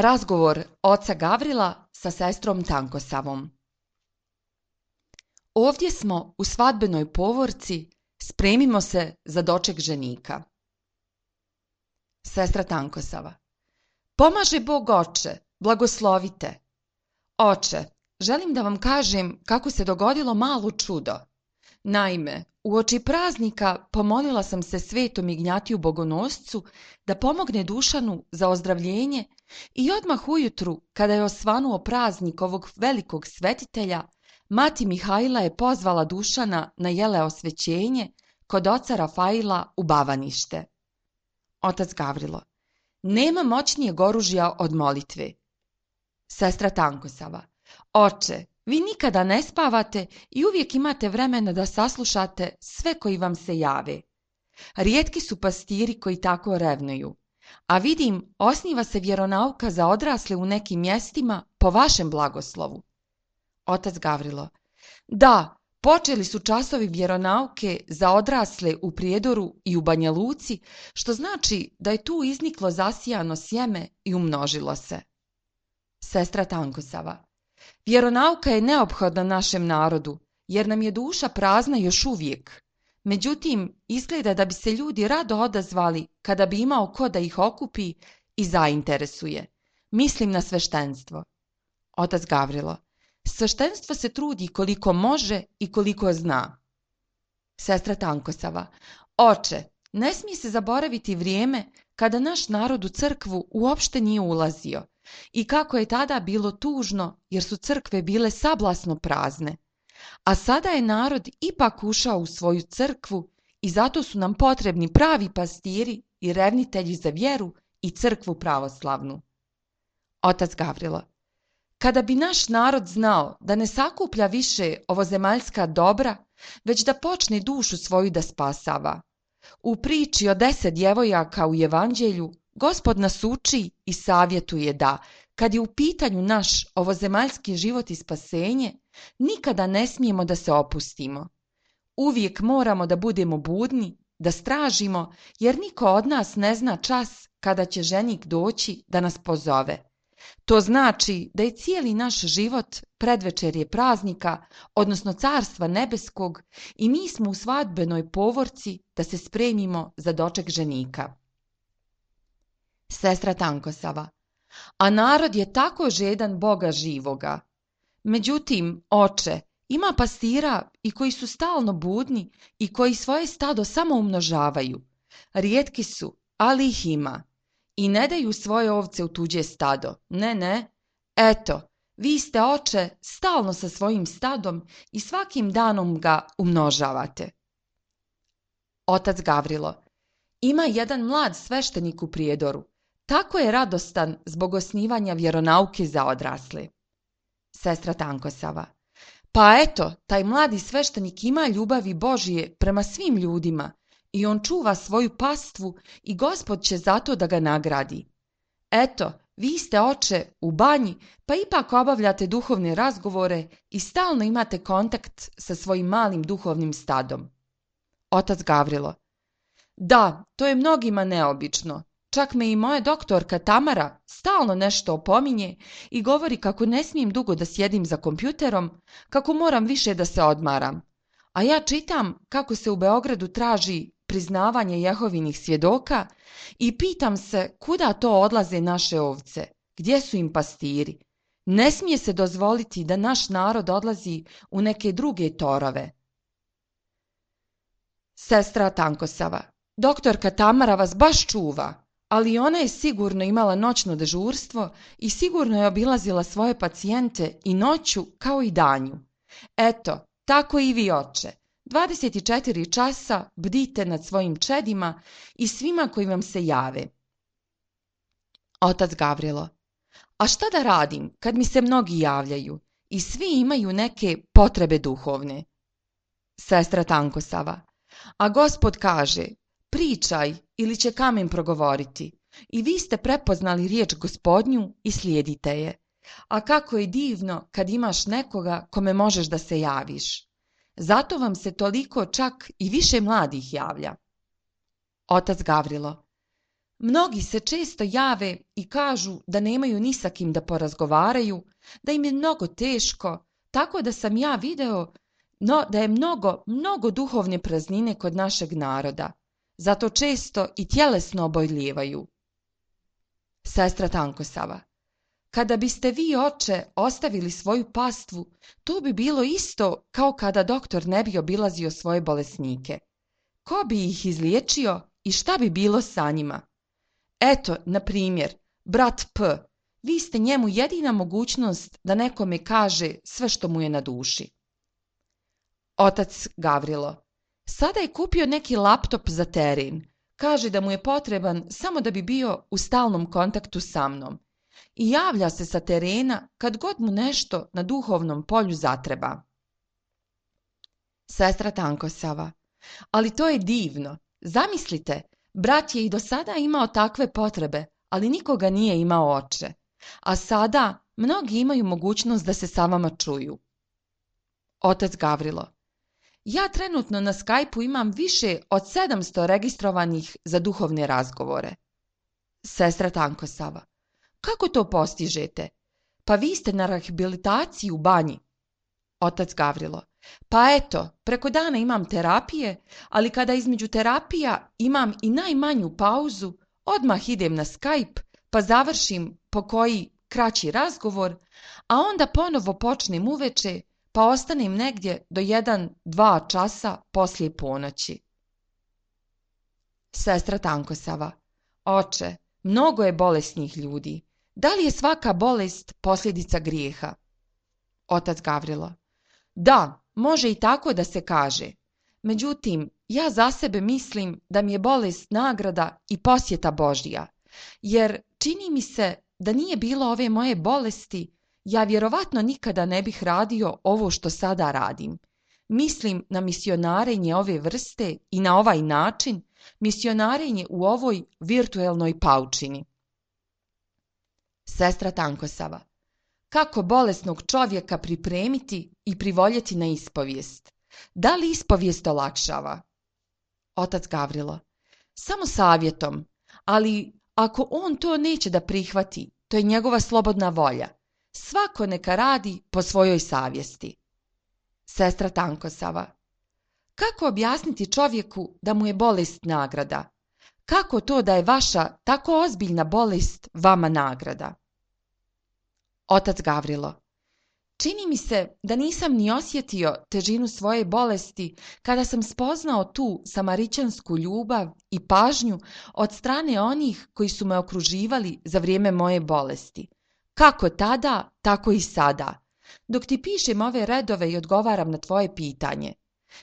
Razgovor oca Gavrila sa sestrom Tankosavom. Ovdje smo u svadbenoj povorci, spremimo se za doček ženika. Sestra Tankosava. Pomaže Bog, oče, blagoslovite. Oče, želim da vam kažem kako se dogodilo malo čudo. Naime, uoči praznika pomolila sam se svetom Ignjatiju Bogonoscu da pomogne Dušanu za ozdravljenje i odmah ujutru, kada je osvanuo praznik ovog velikog svetitelja, mati Mihajla je pozvala Dušana na jele osvećenje kod oca Rafaila u Bavanište. Otac Gavrilo. Nema moćnijeg oružja od molitve. Sestra Tankosava. Oče, vi nikada ne spavate i uvijek imate vremena da saslušate sve koji vam se jave. Rijetki su pastiri koji tako revnuju. A vidim, osniva se vjeronauka za odrasle u nekim mjestima po vašem blagoslovu. Otac Gavrilo. Da, Počeli su časovi vjeronauke za odrasle u Prijedoru i u Banja Luci, što znači da je tu izniklo zasijano sjeme i umnožilo se. Sestra Tankosava: vjeronauka je neophodna našem narodu, jer nam je duša prazna još uvijek. Međutim, izgleda da bi se ljudi rado odazvali kada bi imao ko da ih okupi i zainteresuje. Mislim na sveštenstvo. Otac Gavrilo: sveštenstvo se trudi koliko može i koliko zna. Sestra Tankosava: oče, ne smije se zaboraviti vrijeme kada naš narod u crkvu uopšte nije ulazio i kako je tada bilo tužno jer su crkve bile sablasno prazne. A sada je narod ipak ušao u svoju crkvu i zato su nam potrebni pravi pastiri i revnitelji za vjeru i crkvu pravoslavnu. Otac Gavrilo: kada bi naš narod znao da ne sakuplja više ovozemaljska dobra, već da počne dušu svoju da spasava. U priči o 10 djevojaka u Evanđelju Gospod nas uči i savjetuje da, kad je u pitanju naš ovozemaljski život i spasenje, nikada ne smijemo da se opustimo. Uvijek moramo da budemo budni, da stražimo, jer niko od nas ne zna čas kada će ženik doći da nas pozove. To znači da je cijeli naš život predvečerje praznika, odnosno Carstva nebeskog, i mi smo u svadbenoj povorci da se spremimo za doček ženika. Sestra Tankosava: a narod je tako žedan Boga živoga. Međutim, oče, ima pastira i koji su stalno budni i koji svoje stado samo umnožavaju. Rijetki su, ali ih ima. I ne daju svoje ovce u tuđe stado. Ne. Eto, vi ste, oče, stalno sa svojim stadom i svakim danom ga umnožavate. Otac Gavrilo: ima jedan mlad sveštenik u Prijedoru. Tako je radostan zbog osnivanja vjeronauke za odrasle. Sestra Tankosava: pa eto, taj mladi sveštenik ima ljubavi Božije prema svim ljudima i on čuva svoju pastvu i Gospod će zato da ga nagradi. Eto, vi ste, oče, u banji, pa ipak obavljate duhovne razgovore i stalno imate kontakt sa svojim malim duhovnim stadom. Otac Gavrilo: da, to je mnogima neobično. Čak me i moja doktorka Tamara stalno nešto opominje i govori kako ne smijem dugo da sjedim za kompjuterom, kako moram više da se odmaram. A ja čitam kako se u Beogradu traži priznavanje Jehovinih svjedoka i pitam se kuda to odlaze naše ovce, gdje su im pastiri. Ne smije se dozvoliti da naš narod odlazi u neke druge torove. Sestra Tankosava: doktorka Tamara vas baš čuva, ali ona je sigurno imala noćno dežurstvo i sigurno je obilazila svoje pacijente i noću kao i danju. Eto, tako i vi, oče. 24 časa bdite nad svojim čedima i svima koji vam se jave. Otac Gavrilo: a šta da radim kad mi se mnogi javljaju i svi imaju neke potrebe duhovne? Sestra Tankosava: a Gospod kaže: pričaj ili će kamen progovoriti. I vi ste prepoznali riječ Gospodnju i slijedite je. A kako je divno kad imaš nekoga kome možeš da se javiš. Zato vam se toliko čak i više mladih javlja. Otac Gavrilo: mnogi se često jave i kažu da nemaju ni sa kim da porazgovaraju, da im je mnogo teško, tako da sam ja video da je mnogo duhovne praznine kod našeg naroda. Zato često i tjelesno oboljevaju. Sestra Tankosava: kada biste vi, oče, ostavili svoju pastvu, to bi bilo isto kao kada doktor ne bi obilazio svoje bolesnike. Ko bi ih izliječio i šta bi bilo sa njima? Eto, na primjer, brat P. Vi ste njemu jedina mogućnost da nekome kaže sve što mu je na duši. Otac Gavrilo: sada je kupio neki laptop za teren. Kaže da mu je potreban samo da bi bio u stalnom kontaktu sa mnom. I javlja se sa terena kad god mu nešto na duhovnom polju zatreba. Sestra Tankosava: ali to je divno. Zamislite, brat je i do sada imao takve potrebe, ali nikoga nije imao, oče. A sada mnogi imaju mogućnost da se sa vama čuju. Otac Gavrilo: Ja trenutno na Skype-u imam više od 700 registrovanih za duhovne razgovore. Sestra Tankosava. Kako to postižete? Pa vi ste na rehabilitaciji u banji. Otac Gavrilo. Pa eto, preko dana imam terapije, ali kada između terapija imam i najmanju pauzu, odmah idem na Skype, pa završim po koji kraći razgovor, a onda ponovo počnem uveče, pa ostanem negdje do 1-2 časa poslije ponoći. Sestra Tankosava. Oče, mnogo je bolesnih ljudi. Da li je svaka bolest posljedica grijeha? Otac Gavrilo. Da, može i tako da se kaže. Međutim, ja za sebe mislim da mi je bolest nagrada i posjeta Božja, jer čini mi se da nije bilo ove moje bolesti, ja vjerovatno nikada ne bih radio ovo što sada radim. Mislim na misionarenje ove vrste i na ovaj način, misionarenje u ovoj virtuelnoj paučini. Sestra Tankosava. Kako bolesnog čovjeka pripremiti i privoljeti na ispovijest? Da li ispovijest olakšava? Otac Gavrilo. Samo savjetom, ali ako on to neće da prihvati, to je njegova slobodna volja. Svako neka radi po svojoj savjesti. Sestra Tankosava. Kako objasniti čovjeku da mu je bolest nagrada? Kako to da je vaša tako ozbiljna bolest vama nagrada? Otac Gavrilo. Čini mi se da nisam ni osjetio težinu svoje bolesti kada sam spoznao tu samaričansku ljubav i pažnju od strane onih koji su me okruživali za vrijeme moje bolesti. Kako tada, tako i sada. Dok ti pišem ove redove i odgovaram na tvoje pitanje.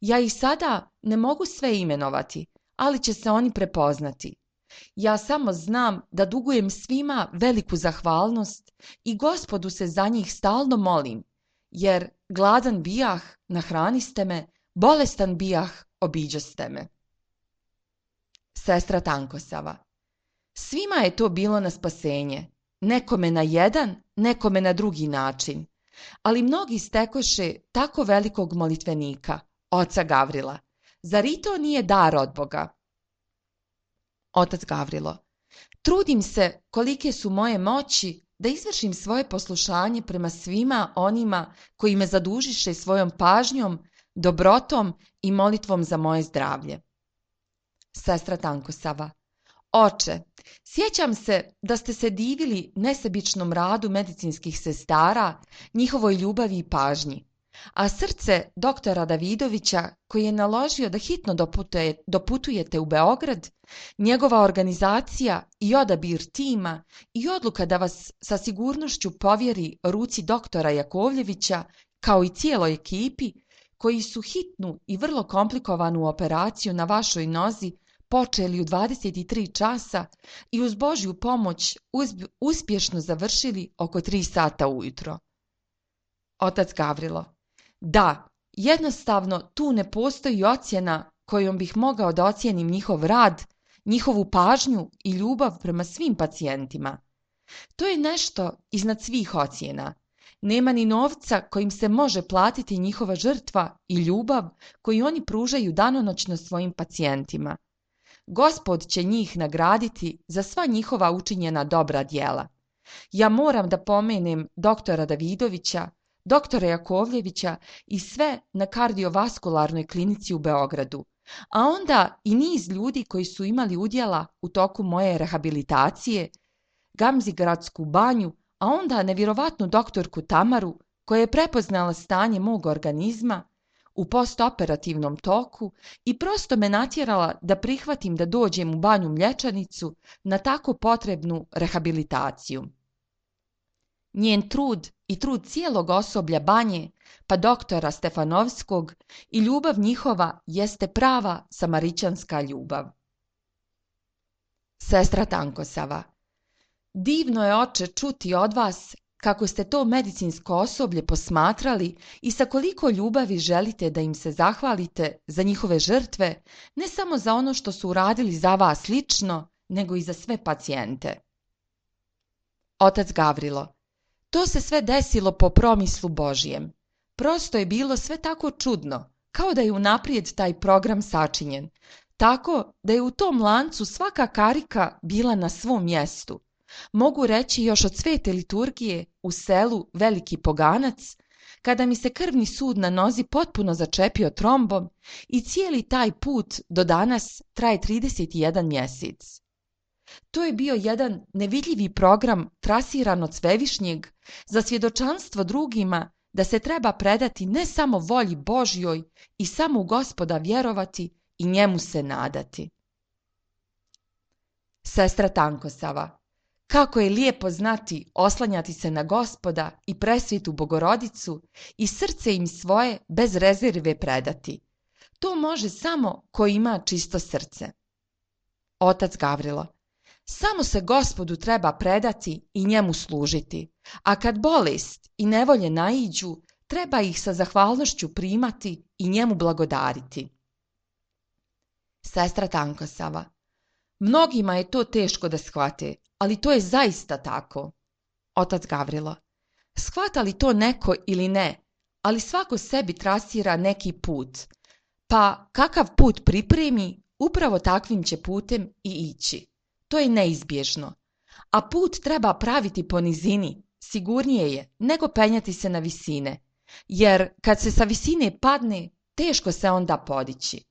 Ja i sada ne mogu sve imenovati, ali će se oni prepoznati. Ja samo znam da dugujem svima veliku zahvalnost i Gospodu se za njih stalno molim, jer gladan bijah, nahraniste me, bolestan bijah, obiđoste me. Sestra Tankosava. Svima je to bilo na spasenje, nekome na jedan, nekome na drugi način, ali mnogi stekoše tako velikog molitvenika, oca Gavrila. Zar i to nije dar od Boga? Otac Gavrilo. Trudim se kolike su moje moći da izvršim svoje poslušanje prema svima onima koji me zadužiše svojom pažnjom, dobrotom i molitvom za moje zdravlje. Sestra Tankosava. Oče, sjećam se da ste se divili nesebičnom radu medicinskih sestara, njihovoj ljubavi i pažnji, a srce doktora Davidovića, koji je naložio da hitno doputujete u Beograd, njegova organizacija i odabir tima i odluka da vas sa sigurnošću povjeri ruci doktora Jakovljevića, kao i cijeloj ekipi, koji su hitnu i vrlo komplikovanu operaciju na vašoj nozi počeli u 23 časa i uz Božju pomoć uspješno završili oko 3 sata ujutro. Otac Gavrilo. Da, jednostavno tu ne postoji ocjena kojom bih mogao da ocijenim njihov rad, njihovu pažnju i ljubav prema svim pacijentima. To je nešto iznad svih ocjena. Nema ni novca kojim se može platiti njihova žrtva i ljubav koju oni pružaju danonoćno svojim pacijentima. Gospod će njih nagraditi za sva njihova učinjena dobra djela. Ja moram da pomenem doktora Davidovića, doktora Jakovljevića i sve na kardiovaskularnoj klinici u Beogradu, a onda i niz ljudi koji su imali udjela u toku moje rehabilitacije, Gamzigradsku banju, a onda nevjerovatnu doktorku Tamaru, koja je prepoznala stanje mog organizma u postoperativnom toku i prosto me natjerala da prihvatim da dođem u banju Mlječanicu na tako potrebnu rehabilitaciju. Njen trud i trud cijelog osoblja banje, pa doktora Stefanovskog, i ljubav njihova jeste prava samaričanska ljubav. Sestra Tankosava. Divno je, oče, čuti od vas kako ste to medicinsko osoblje posmatrali i sa koliko ljubavi želite da im se zahvalite za njihove žrtve, ne samo za ono što su uradili za vas lično, nego i za sve pacijente. Otac Gavrilo. To se sve desilo po promislu Božijem. Prosto je bilo sve tako čudno, kao da je unaprijed taj program sačinjen, tako da je u tom lancu svaka karika bila na svom mjestu. Mogu reći još od svete liturgije u selu Veliki Poganac, kada mi se krvni sud na nozi potpuno začepio trombom i cijeli taj put do danas traje 31 mjesec. To je bio jedan nevidljivi program trasiran od Svevišnjeg za svjedočanstvo drugima da se treba predati ne samo volji Božjoj i samo u Gospoda vjerovati i njemu se nadati. Sestra Tankosava, kako je lijepo znati oslanjati se na Gospoda i presvetu Bogorodicu i srce im svoje bez rezerve predati. To može samo ko ima čisto srce. Otac Gavrilo, samo se Gospodu treba predati i njemu služiti, a kad bolest i nevolje naiđu, treba ih sa zahvalnošću primati i njemu blagodariti. Sestra Tankosava, mnogima je to teško da shvate, ali to je zaista tako. Otac Gavrilo, shvata li to neko ili ne, ali svako sebi trasira neki put, pa kakav put pripremi, upravo takvim će putem i ići. To je neizbježno. A put treba praviti po nizini, sigurnije je nego penjati se na visine, jer kad se sa visine padne, teško se onda podići.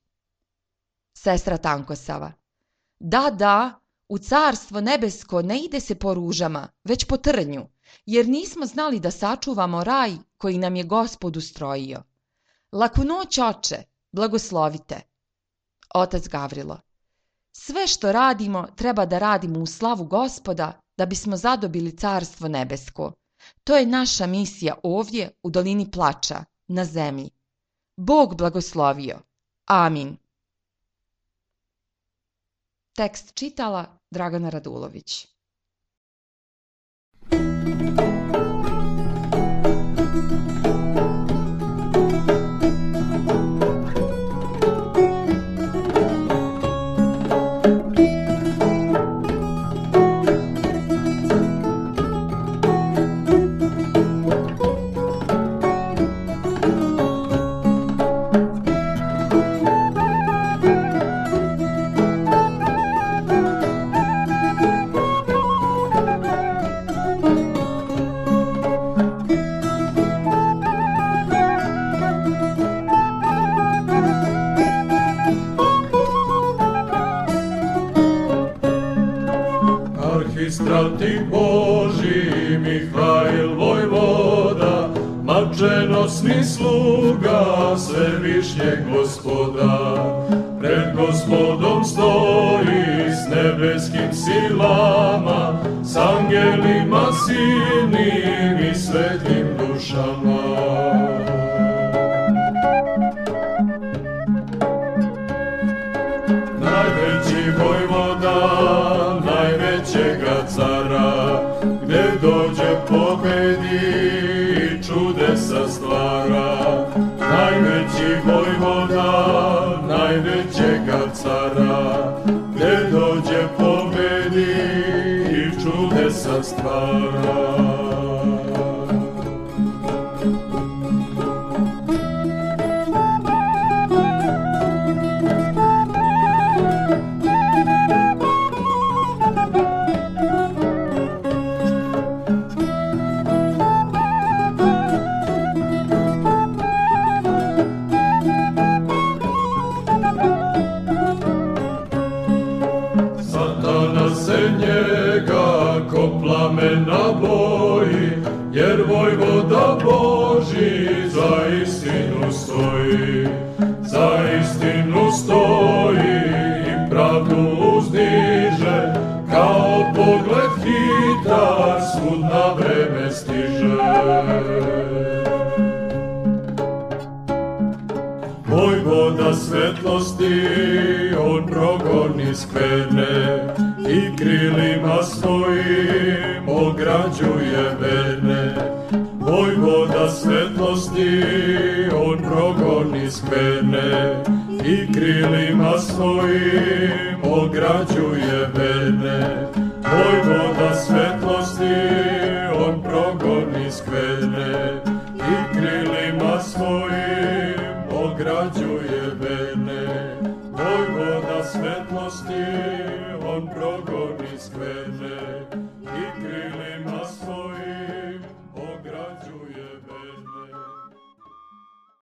Sestra Tankosava, da, u carstvo nebesko ne ide se po ružama, već po trnju, jer nismo znali da sačuvamo raj koji nam je Gospod ustrojio. Laku noć, oče, blagoslovite. Otac Gavrilo, sve što radimo treba da radimo u slavu Gospoda da bismo zadobili carstvo nebesko. To je naša misija ovdje u dolini plača, na zemlji. Bog blagoslovio. Amin. Tekst čitala Dragana Radulović. Stratih Boži Mihajl Vojvoda, mačenosni sluga Svevišnjeg Gospoda, pred Gospodom stoji s nebeskim silama, s angelima silnim i svetim dušama. Najveći Vojvoda najvećega cara, gdje dođe pobedi i čudesa stvara. Najveći Vojvoda najvećega cara, gdje dođe pobedi i čudesa stvara. Plamena boji, jer Vojvoda Boži za istinu stoji, za istinu stoji i pravdu uzdiže, kao pogled hitar svud na vreme stiže. Vojvoda svetlosti, on progoni skverne i krilima svojim ograđuje verne. Vojvoda svetlosti, on progoni skverne i krilima svojim ograđuje verne. Vojvoda svetlosti,